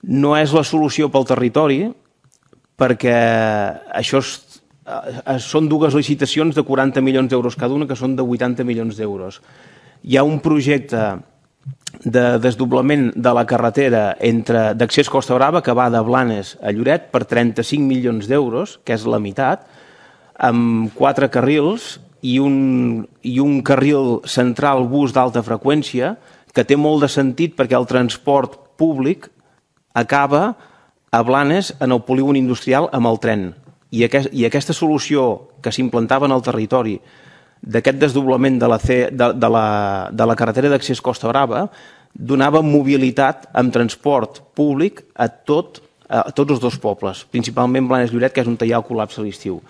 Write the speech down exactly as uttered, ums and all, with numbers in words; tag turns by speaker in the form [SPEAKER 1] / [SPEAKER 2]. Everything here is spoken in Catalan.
[SPEAKER 1] no és la solució pel territori, perquè això és, són dues licitacions de quaranta milions d'euros cada una, que són de vuitanta milions d'euros. Hi ha un projecte de desdoblament de la carretera d'accés Costa Brava que va de Blanes a Lloret per trenta-cinc milions d'euros, que és la meitat, amb quatre carrils i un, i un carril central bus d'alta freqüència, que té molt de sentit perquè el transport públic acaba a Blanes en el polígon industrial amb el tren. I, aquest, i aquesta solució que s'implantava en el territori d'aquest desdoblament de la, C, de, de la, de la carretera d'accés Costa Brava donava mobilitat amb transport públic a, tot, a tots els dos pobles, principalment Blanes i Lloret, que és on hi ha el col·lapse a l'estiu.